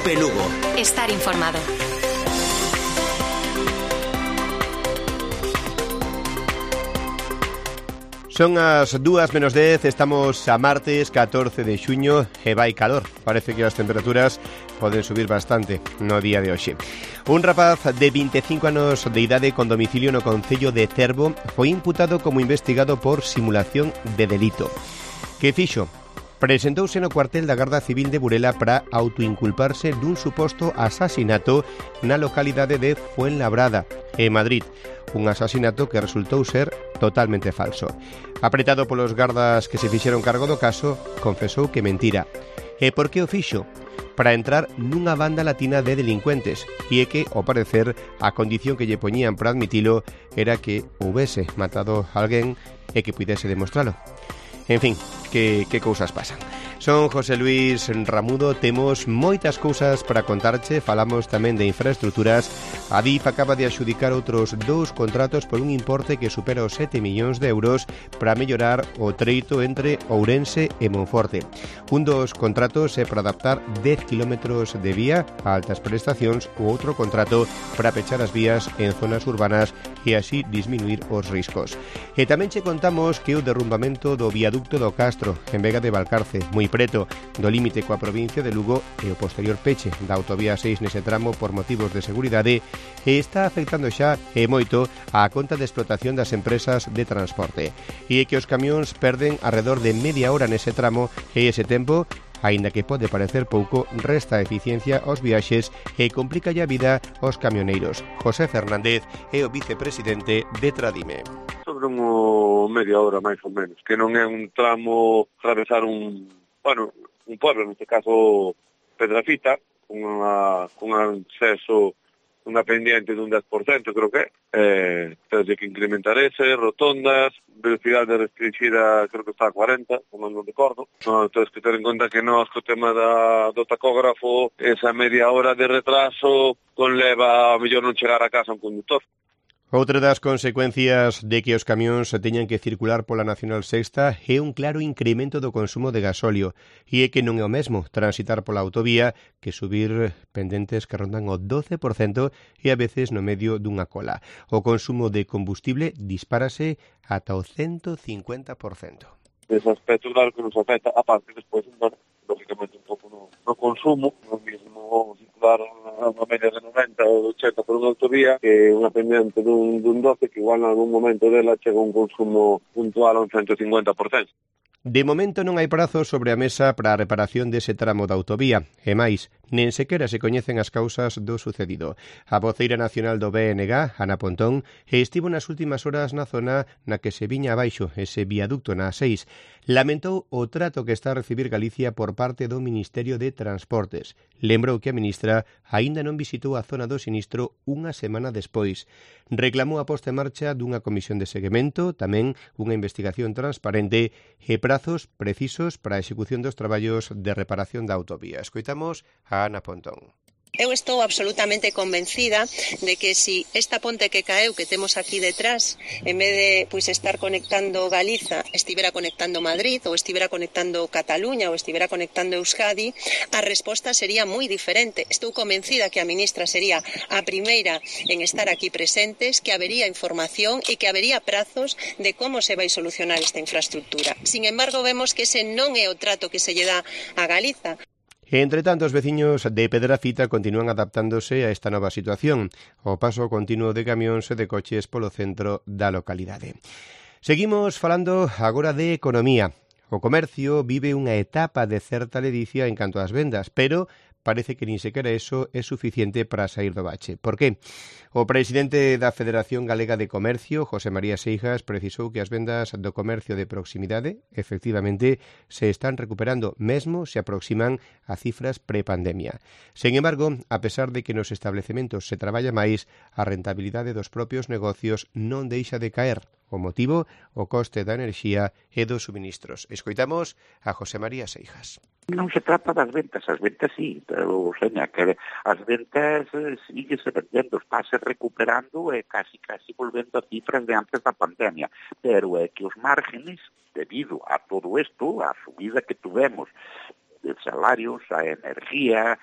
Cope Lugo. Estar informado. Son as 2:10, estamos a martes 14 de xuño e vai calor. Parece que as temperaturas poden subir bastante no día de hoxe. Un rapaz de 25 anos de idade con domicilio no concello de Cervo foi imputado como investigado por simulación de delito. Que fixo? Presentouse no cuartel da Garda Civil de Burela para autoinculparse dun suposto asasinato na localidade de Fuenlabrada, en Madrid. Un asasinato que resultou ser totalmente falso. Apretado polos gardas que se fixeron cargo do caso, confesou que mentira. E por que o fixo? Para entrar nunha banda latina de delincuentes, e é que, ao parecer, a condición que lle poñían para admitilo era que houbese matado a alguén e que puidese demostralo. En fin, que cousas pasan. Son José Luis Ramudo, temos moitas cousas para contarche, falamos tamén de infraestructuras. A DIF acaba de adxudicar outros 2 contratos por un importe que supera os 7 millóns de euros para mellorar o treito entre Ourense e Monforte. Un dos contratos é para adaptar 10 kilómetros de vía a altas prestacións, o outro contrato para pechar as vías en zonas urbanas e así disminuir os riscos. E tamén che contamos que o derrumbamento do viaducto do Castro, en Vega de Valcarce, moi preto do límite coa provincia de Lugo, e o posterior peche da autovía 6 nese tramo por motivos de seguridade, e está afectando xa e moito a conta de explotación das empresas de transporte. E é que os camións perden alrededor de media hora nese tramo, e ese tempo, aínda que pode parecer pouco, resta eficiencia aos viaxes e complica a vida aos camioneiros. José Fernández é o vicepresidente de Tradime. Sobre media hora, máis ou menos, que non é un tramo atravesar un pueblo, neste caso Pedrafita, con acceso, unha pendiente dun 10%, creo que tens que incrementar ese, rotondas, velocidade restringida, creo que está a 40, como non recordo. No, tens que ter en conta que nós, co tema do tacógrafo, esa media hora de retraso conleva a mellor non chegar a casa un conductor. Outra das consecuencias de que os camións se teñan que circular pola Nacional Sexta é un claro incremento do consumo de gasóleo, e é que non é o mesmo transitar pola autovía que subir pendentes que rondan o 12% e a veces no medio dunha cola. O consumo de combustible dispárase ata o 150%. Ese aspecto, claro, que nos afecta, aparte, despois, lógicamente, un pouco no consumo, no mismo circular unha media de 90 ou 80 por unha autovía, que unha pendiente dun 12, que igual en algún momento dela chega un consumo puntual a un 150%. De momento non hai prazos sobre a mesa para a reparación dese tramo da autovía, e máis, nen sequera se coñecen as causas do sucedido. A voceira nacional do BNG, Ana Pontón, estivo nas últimas horas na zona na que se viña abaixo ese viaducto na A6. Lamentou o trato que está a recibir Galicia por parte do Ministerio de Transportes. Lembrou que a ministra aínda non visitou a zona do sinistro unha semana despois. Reclamou a posta en marcha dunha comisión de seguimento, tamén unha investigación transparente e prazos precisos para a execución dos traballos de reparación da autovía. Escoitamos a Ana Pontón. Eu estou absolutamente convencida de que si esta ponte que caeu que temos aquí detrás, en vez de estar conectando Galiza, estivera conectando Madrid, ou estivera conectando Cataluña, ou estivera conectando Euskadi, a resposta sería moi diferente. Estou convencida que a ministra sería a primeira en estar aquí presentes, que habería información e que habería prazos de como se vai solucionar esta infraestructura. Sin embargo, vemos que ese non é o trato que se lle dá a Galiza. Entre tanto, os veciños de Pedrafita continúan adaptándose a esta nova situación, o paso continuo de camións e de coches polo centro da localidade. Seguimos falando agora de economía. O comercio vive unha etapa de certa ledicia en canto ás vendas, pero parece que nin sequera eso é suficiente para sair do bache. Por que? O presidente da Federación Galega de Comercio, José María Seijas, precisou que as vendas do comercio de proximidade, efectivamente, se están recuperando, mesmo se aproximan a cifras prepandemia. Sen embargo, a pesar de que nos establecementos se traballa máis, a rentabilidade dos propios negocios non deixa de caer. O motivo, o coste da enerxía e dos suministros. Escoitamos a José María Seijas. Non se trata das ventas, as ventas sí, pero, seña, que as ventas síguese vendendo, estáse recuperando e casi volvendo a cifras de antes da pandemia, pero é que os márgenes, debido a todo isto, a subida que tuvemos salarios, a energía,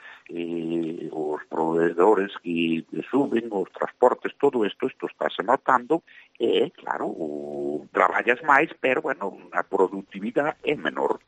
os proveedores que suben, os transportes, todo isto estáse notando, e, claro, traballas máis, pero, bueno, a produtividade é menor.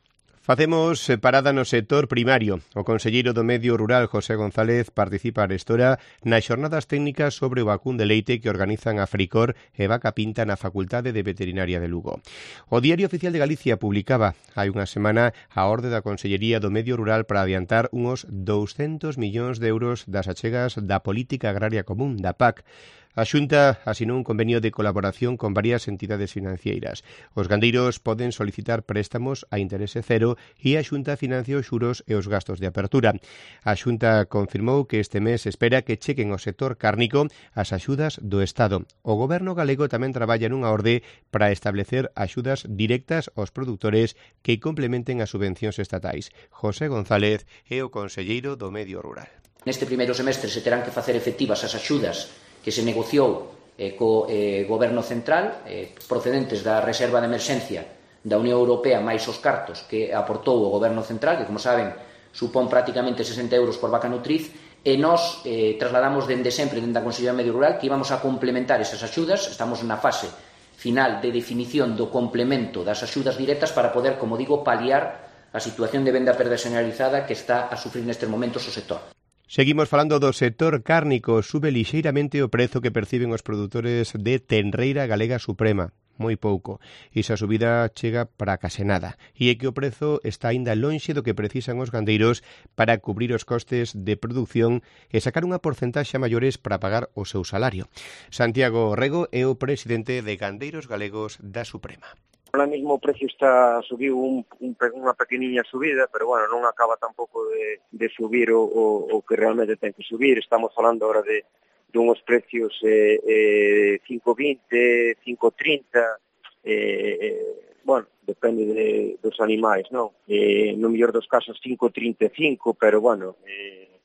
Facemos parada no sector primario. O conselleiro do Medio Rural, José González, participa arestora nas xornadas técnicas sobre o vacún de leite que organizan a Fricor e Vaca Pinta na Facultade de Veterinaria de Lugo. O Diario Oficial de Galicia publicaba hai unha semana a orde da Consellería do Medio Rural para adiantar uns 200 millóns de euros das achegas da Política Agraria Común, da PAC. A Xunta asinou un convenio de colaboración con varias entidades financeiras. Os gandeiros poden solicitar préstamos a interese cero e a Xunta financia os xuros e os gastos de apertura. A Xunta confirmou que este mes espera que chequen ao sector cárnico as axudas do Estado. O Goberno galego tamén traballa nunha orde para establecer axudas directas aos produtores que complementen as subvencións estatais. José González é o conselleiro do Medio Rural. Neste primeiro semestre se terán que facer efectivas as axudas que se negociou co Goberno Central, procedentes da Reserva de Emerxencia da Unión Europea máis os cartos que aportou o Goberno Central, que, como saben, supón prácticamente 60 euros por vaca nutriz, e nós trasladamos dende sempre, dende a Consellería Medio Rural, que íbamos a complementar esas axudas. Estamos na fase final de definición do complemento das axudas directas para poder, como digo, paliar a situación de venda perda xeneralizada que está a sufrir nestes momentos o sector. Seguimos falando do sector cárnico. Sube lixeiramente o prezo que perciben os produtores de tenreira galega suprema. Moi pouco. Esa subida chega para case nada. E é que o prezo está aínda lonxe do que precisan os gandeiros para cubrir os costes de produción e sacar unha porcentaxe maiores para pagar o seu salario. Santiago Rego é o presidente de Gandeiros Galegos da Suprema. Ahora mismo o precio está subiu unha pequeniña subida, pero bueno, non acaba tampouco de subir o que realmente ten que subir. Estamos falando agora de unhos precios 5,20, 5,30, bueno, depende dos animais, non? No mellor dos casos 5,35, pero bueno,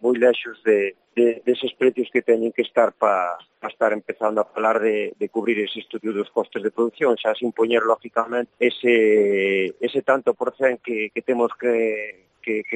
moi lexos deses precios que teñen que estar para estar empezando a falar de cubrir ese estudio dos costes de produción, xa sin poñer, lógicamente, ese tanto por cen que temos que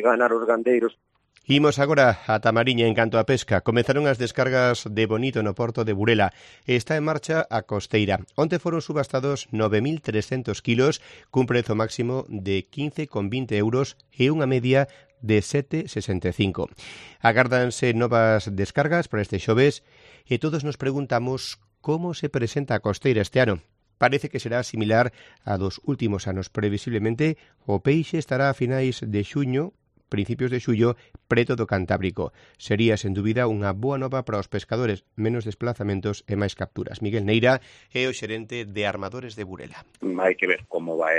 ganar os gandeiros. Imos agora a Tamariña en canto a pesca. Comezaron as descargas de bonito no porto de Burela. Está en marcha a costeira. Onte foron subastados 9.300 kilos, cun prezo máximo de 15,20 euros e unha media de 7,65. Agárdanse novas descargas para este xoves e todos nos preguntamos como se presenta a costeira este ano. Parece que será similar a dos últimos anos. Previsiblemente, o peixe estará a finais de xuño, principios de xullo, preto do Cantábrico. Sería, sen dúbida, unha boa nova para os pescadores, menos desplazamentos e máis capturas. Miguel Neira é o xerente de Armadores de Burela. Hai que ver como vai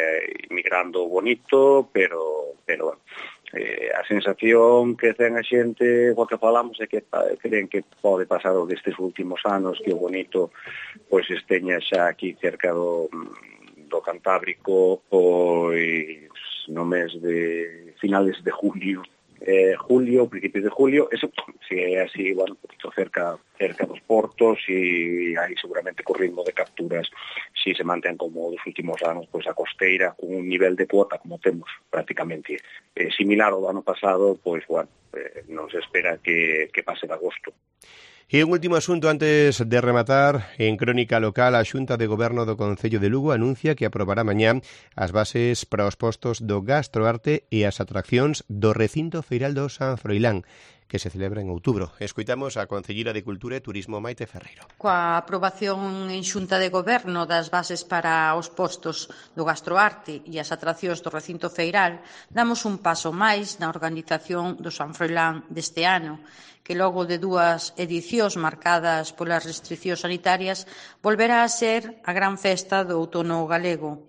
migrando bonito, pero bueno, a sensación que ten a xente, o que falamos, é que creen que pode pasar o destes últimos anos, que o bonito pois esteña xa aquí cerca do Cantábrico, pois no mes de finales de julio, principios de julio. Eso, si é así, bueno, un poquito cerca dos portos, e aí seguramente co ritmo de capturas, si se mantén como dos últimos anos, pois a costeira con un nivel de cuota como temos prácticamente similar ao do ano pasado, pois bueno, non se espera que pase de agosto. E un último asunto antes de rematar. En crónica local, a Xunta de Goberno do Concello de Lugo anuncia que aprobará mañá as bases para os postos do Gastroarte e as atraccións do recinto feiral do San Froilán, que se celebra en outubro. Escoitamos a concelleira de Cultura e Turismo, Maite Ferreiro. Coa aprobación en Xunta de Goberno das bases para os postos do Gastroarte e as atraccións do recinto feiral, damos un paso máis na organización do San Froilán deste ano, que logo de 2 edicións marcadas polas restriccións sanitarias volverá a ser a gran festa do outono galego.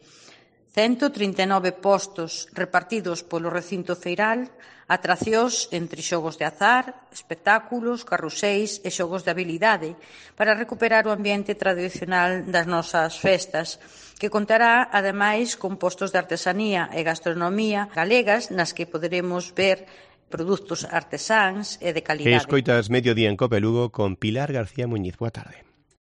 139 postos repartidos polo recinto feiral, atraccións entre xogos de azar, espectáculos, carruseis e xogos de habilidade para recuperar o ambiente tradicional das nosas festas, que contará, ademais, con postos de artesanía e gastronomía galegas nas que poderemos ver produtos artesáns e de calidade. Escoitas Mediodía en Cope Lugo con Pilar García Muñiz. Boa tarde.